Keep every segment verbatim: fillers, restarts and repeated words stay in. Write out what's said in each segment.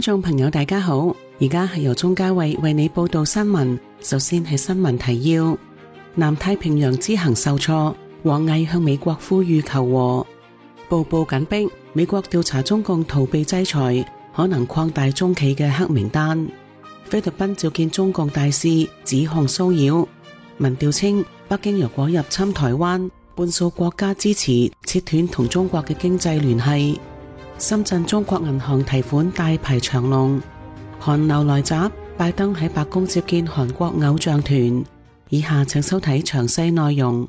眾朋友大家好，而家係由鍾嘉慧為你報道新聞。首先係新聞提要：南太平洋之行受挫，王毅向美國呼籲求和。步步緊逼，美國調查中共逃避制裁，可能擴大中企嘅黑名單。菲律賓召見中共大使，指控騷擾。民調稱，北京若果入侵台灣，半數國家支持切斷同中國嘅經濟聯繫。深圳中國銀行提款大排長龍。韓流來襲，拜登喺白宮接見韓國偶像團。以下請收睇詳細內容。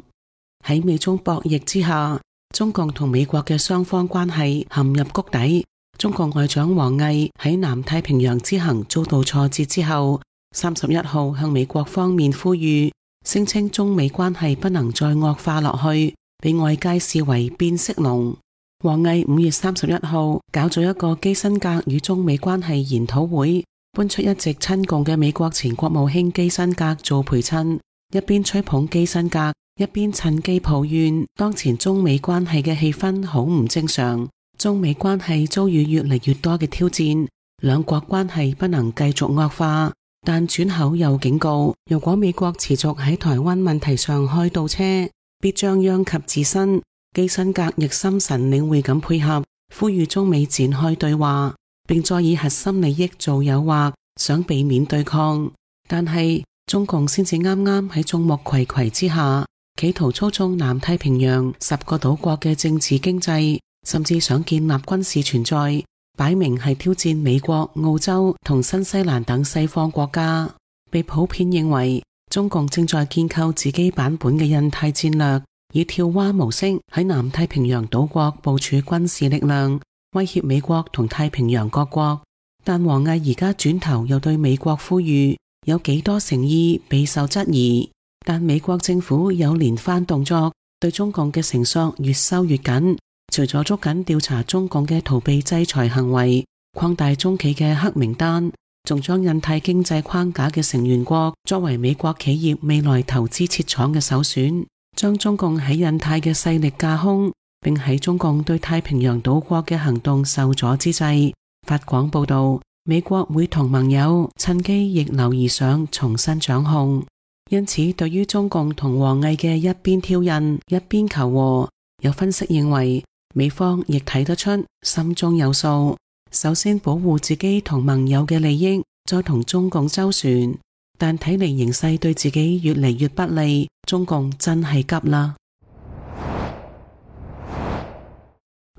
喺美中博弈之下，中共同美國嘅雙方關係陷入谷底。中共外長王毅喺南太平洋之行遭到挫折之後，三十一號向美國方面呼籲，聲稱中美關係不能再惡化落去，被外界視為變色龍。王毅五月三十一號搞咗一個基辛格與中美關係研討會，搬出一直親共嘅美國前國務卿基辛格做陪襯，一邊吹捧基辛格，一邊趁機抱怨當前中美關係嘅氣氛好唔正常，中美關係遭遇越嚟越多嘅挑戰，兩國關係不能繼續惡化。但轉口又警告，如果美國持續喺台灣問題上開倒車，必將殃及自身。基辛格亦心神領會咁配合，呼籲中美展開對話，並再以核心利益做誘惑，想避免對抗。但係中共先至啱啱喺眾目睽睽之下，企圖操縱南太平洋十個島國嘅政治經濟，甚至想建立軍事存在，擺明係挑戰美國、澳洲同新西蘭等西方國家。被普遍認為，中共正在建構自己版本嘅印太戰略，以跳蛙模式喺南太平洋島國部署軍事力量，威脅美國同太平洋各國。但王毅而家轉頭又對美國呼籲，有幾多誠意備受質疑。但美國政府有連番動作，對中共嘅繩索越收越緊。除咗捉緊調查中共嘅逃避制裁行為，擴大中企嘅黑名單，仲將印太經濟框架嘅成員國作為美國企業未來投資設廠嘅首選，將中共喺印太嘅勢力架空，並喺中共對太平洋島國嘅行動受阻之際，法廣報道，美國會同盟友趁機逆流而上，重新掌控。因此，對於中共同王毅嘅一邊挑釁，一邊求和，有分析認為，美方亦睇得出心中有數，首先保護自己同盟友嘅利益，再同中共周旋。但睇嚟形勢對自己越嚟越不利，中共真係急啦。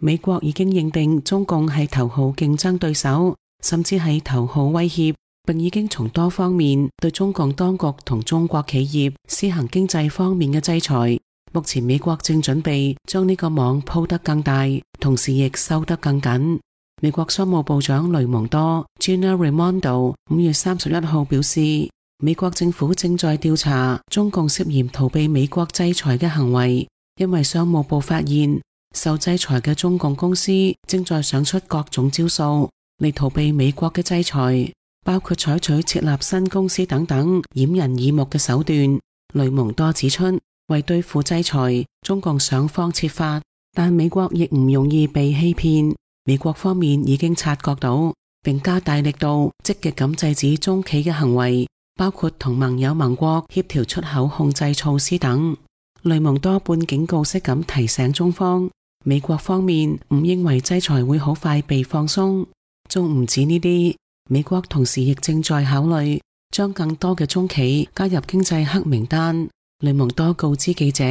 美國已經認定中共係頭號競爭對手，甚至係頭號威脅，並已經從多方面對中共當局同中國企業施行經濟方面嘅制裁。目前美國正準備將呢個網鋪得更大，同時亦收得更緊。美國商務部長雷蒙多 Gina Raimondo 五月三十一號表示，美國政府正在調查中共涉嫌逃避美國制裁嘅行為，因為商務部發現受制裁嘅中共公司正在想出各種招數嚟逃避美國嘅制裁，包括採取設立新公司等等掩人耳目嘅手段。雷蒙多指出，為對付制裁，中共想方設法，但美國亦唔容易被欺騙。美國方面已經察覺到，並加大力度積極咁制止中企嘅行為，包括同盟友盟國協調出口控制措施等。雷蒙多半警告式咁提醒中方，美國方面唔認為制裁會好快被放鬆。仲唔止呢啲，美國同時亦正在考慮將更多嘅中企加入經濟黑名單。雷蒙多告知記者，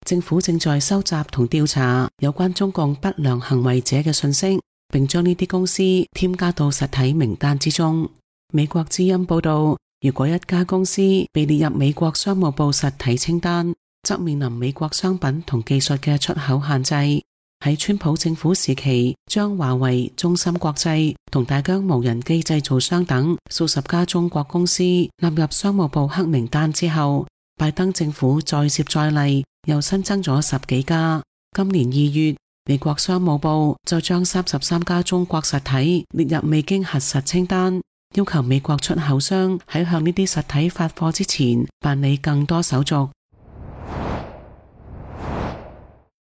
政府正在收集同調查有關中共不良行為者嘅信息，並將呢啲公司添加到實體名單之中。美國之音報道，如果一家公司被列入美國商務部實體清單，則面臨美國商品同技術嘅出口限制。喺川普政府時期，將華為、中芯國際同大疆無人機製造商等數十家中國公司納入商務部黑名單之後，拜登政府再接再厲，又新增咗十幾家。今年二月，美國商務部就將三十三家中國實體列入未經核實清單，要求美國出口商喺向呢啲實體發貨之前辦理更多手續。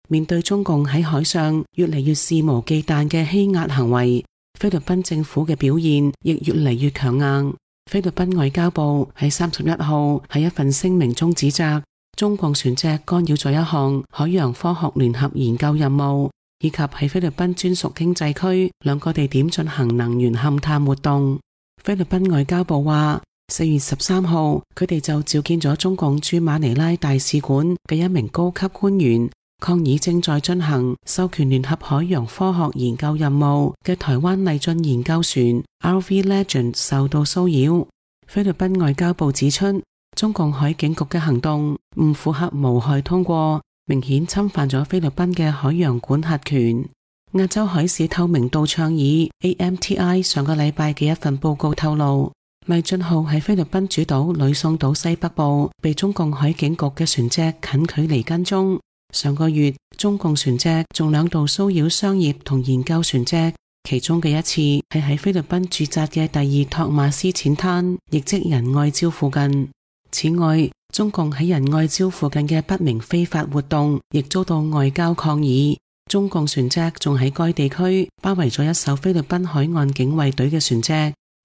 面對中共喺海上越嚟越肆無忌憚嘅欺壓行為，菲律賓政府嘅表現亦越嚟越強硬。菲律賓外交部喺三十一號喺一份聲明中指責中共船隻干擾咗一項海洋科學聯合研究任務，以及喺菲律賓專屬經濟區兩個地點進行能源勘探活動。菲律賓外交部話，四月十三號佢哋就召見咗中共駐馬尼拉大使館嘅一名高級官員，抗議正在進行授權聯合海洋科學研究任務嘅台灣勵進研究船 R V Legend 受到騷擾。菲律賓外交部指出，中共海警局嘅行動唔符合無害通過，明顯侵犯咗菲律賓嘅海洋管轄權。亞洲海事透明度倡議 A M T I 上個禮拜嘅一份報告透露，勵進號喺菲律賓主島呂宋島西北部被中共海警局嘅船隻近距離跟蹤。上個月，中共船隻仲兩度騷擾商業同研究船隻，其中嘅一次係喺菲律賓駐紮嘅第二托馬斯淺灘，亦即仁愛礁附近。此外，中共喺仁愛礁附近嘅不明非法活動亦遭到外交抗議。中共船隻仲喺該地區包圍咗一艘菲律賓海岸警衛隊嘅船隻。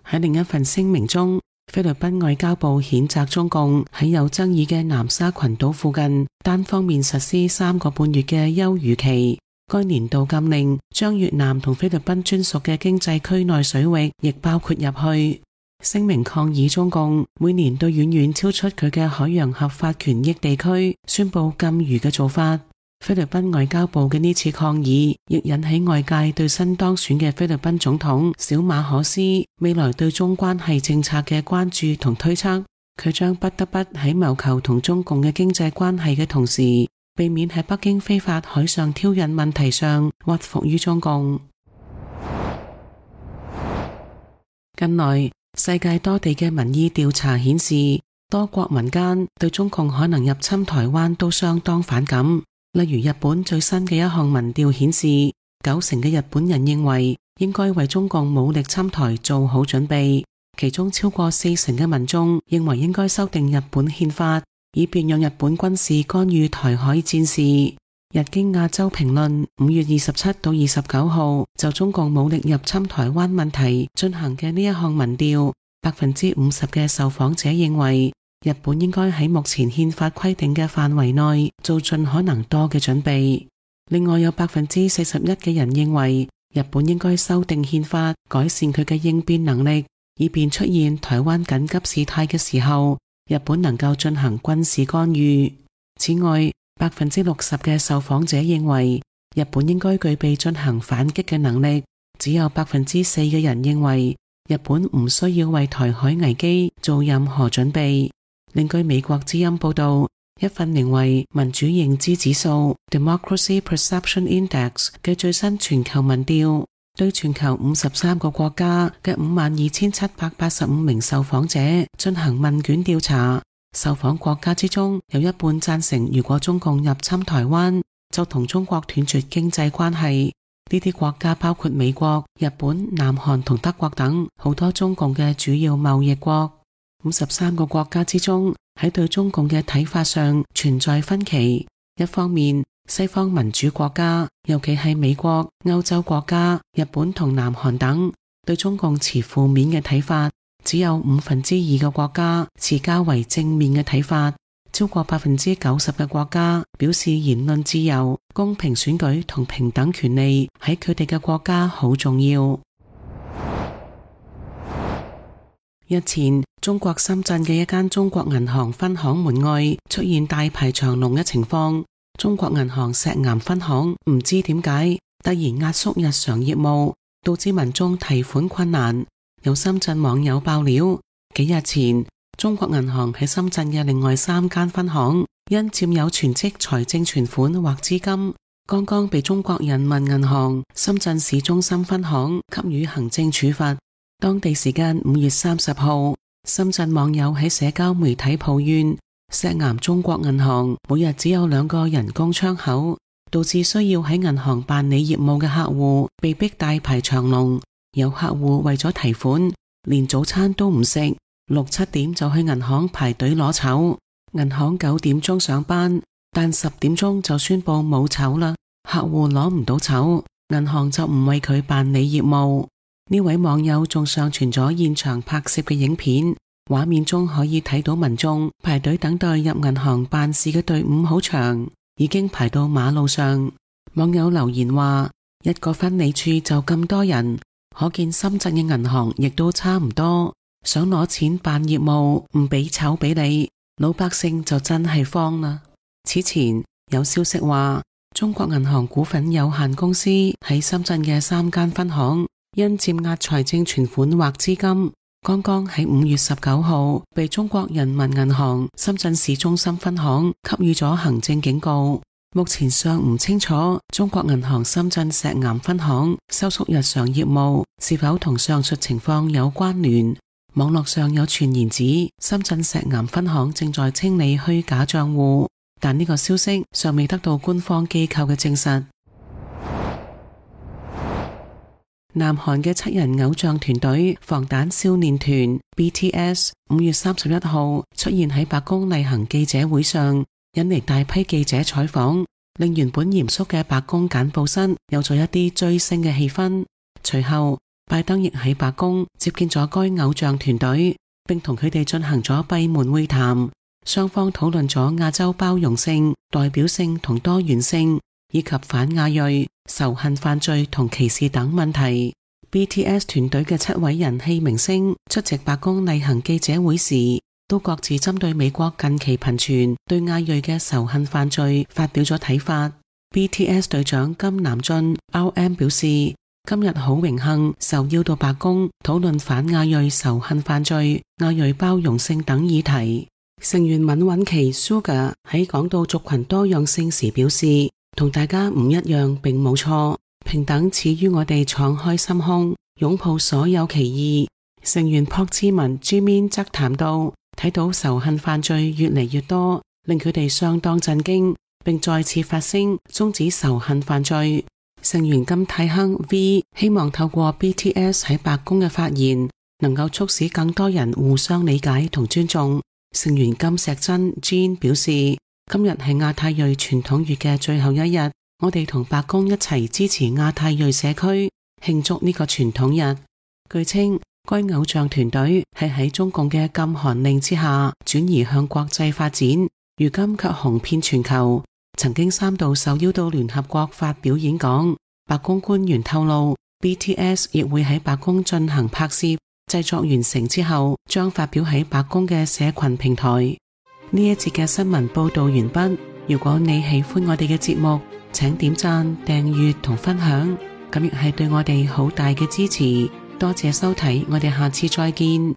喺另一份聲明中，菲律賓外交部譴責中共喺有爭議嘅南沙群島附近單方面實施三個半月嘅休漁期。該年度禁令將越南同菲律賓專屬嘅經濟區內水域亦包括入去。聲明抗議中共每年對遠遠超出佢嘅海洋合法權益地區宣布禁漁嘅做法。菲律賓外交部嘅呢次抗議亦引起外界對新當選嘅菲律賓總統小馬可斯未來對中關係政策嘅關注同推測。佢將不得不喺謀求同中共嘅經濟關係嘅同時，避免喺北京非法海上挑釁問題上屈服於中共。近來世界多地嘅民意調查顯示，多國民間對中共可能入侵台灣都相當反感。例如日本最新嘅一項民調顯示，九成嘅日本人認為應該為中共武力侵台做好準備，其中超過四成嘅民眾認為應該修訂日本憲法，以便讓日本軍事干預台海戰事。日經亞洲評論五月二十七到二十九號就中共武力入侵台灣問題進行嘅呢一項民調，百分之五十嘅受訪者認為日本應該喺目前憲法規定嘅範圍內做盡可能多嘅準備。另外有百分之四十一嘅人認為日本應該修訂憲法，改善佢嘅應變能力，以便出現台灣緊急事態嘅時候，日本能夠進行軍事干預。此外，百分之六十嘅受訪者認為日本應該具備進行反擊嘅能力，只有百分之四嘅人認為日本唔需要為台海危機做任何準備。另據美國之音報道，一份名為民主認知指數 Democracy Perception Index 嘅最新全球民調，對全球五十三個國家嘅五萬二千七百八十五名受訪者進行問卷調查。受訪國家之中有一半贊成，如果中共入侵台灣，就同中國斷絕經濟關係。呢啲國家包括美國、日本、南韓同德國等好多中共嘅主要貿易國。五十三個國家之中，喺對中共嘅睇法上存在分歧。一方面，西方民主國家，尤其係美國、歐洲國家、日本同南韓等，對中共持負面嘅睇法，只有五分之二嘅國家持較為正面嘅睇法。超過百分之九十嘅國家表示言論自由、公平選舉同平等權利喺佢哋嘅國家好重要。日前，中國深圳嘅一間中國銀行分行門外出現大排長龍嘅情況。中國銀行石岩分行唔知點解突然壓縮日常業務，導致民眾提款困難。有深圳網友爆料，幾日前中國銀行喺深圳嘅另外三間分行因佔有全職財政存款或資金，剛剛被中國人民銀行深圳市中心分行給予行政處罰。當地時間五月三十號，深圳網友喺社交媒體抱怨，石岩中國銀行每日只有兩個人工窗口，導致需要喺銀行辦理業務嘅客戶被逼大排長龍。有客戶為咗提款，連早餐都唔食，六七點就去銀行排隊攞籌。銀行九點鐘上班，但十點鐘就宣布冇籌啦，客戶攞唔到籌，銀行就唔為佢辦理業務。呢位網友仲上傳咗現場拍攝嘅影片，畫面中可以睇到民眾排隊等待入銀行辦事嘅隊伍好長，已經排到馬路上。網友留言話，一個分理處就咁多人，可見深圳嘅銀行亦都差唔多。想攞錢辦業務，唔俾籌俾你，老百姓就真係慌啦。此前有消息話，中國銀行股份有限公司喺深圳嘅三間分行因佔壓財政存款或資金，剛剛喺五月十九號被中國人民銀行深圳市中心分行給予咗行政警告。目前尚唔清楚中國銀行深圳石岩分行收縮日常業務是否同上述情況有關聯。網絡上有傳言指深圳石岩分行正在清理虛假賬戶，但呢個消息尚未得到官方機構嘅證實。南韓嘅七人偶像團隊防彈少年團 B T S 五月三十一號出現喺白宮例行記者會上，引嚟大批記者採訪，令原本嚴肅嘅白宮簡報室有咗一啲追星嘅氣氛。隨後拜登亦喺白宮接見咗該偶像團隊，並同佢哋進行咗閉門會談，雙方討論咗亞洲包容性、代表性同多元性，以及反亞裔、仇恨犯罪同歧視等問題。B T S 團隊嘅七位人氣明星出席白宮例行記者會時，都各自針對美國近期頻傳對亞裔嘅仇恨犯罪發表咗睇法。B T S 隊長金南俊 R M 表示，今日好榮幸受邀到白宮討論反亞裔仇恨犯罪、亞裔包容性等議題。成員閔允琪 Sugar 喺講到族群多樣性時表示，同大家唔一樣並冇錯，平等始於我哋敞開心胸，擁抱所有歧義。成員朴智文 Jimin 則談到，睇到仇恨犯罪越嚟越多，令佢哋相當震驚，並再次發聲終止仇恨犯罪。成員金泰亨 V 希望透過 B T S 喺白宮嘅發言，能夠促使更多人互相理解同尊重。成員金石真 Jean 表示，今日係亞太裔傳統月嘅最後一日，我哋同白宮一齊支持亞太裔社區慶祝呢個傳統日。據稱，該偶像團隊係喺中共嘅禁韓令之下轉移向國際發展，如今卻紅遍全球。曾經三度受邀到聯合國發表演講。白宮官員透露 B T S 亦會喺白宮進行拍攝，製作完成之後將發表喺白宮嘅社群平台。呢一節嘅新聞報道完畢。如果你喜歡我哋嘅節目，請點讚、訂閱同分享，咁亦係對我哋好大嘅支持。多謝收睇，我哋下次再見。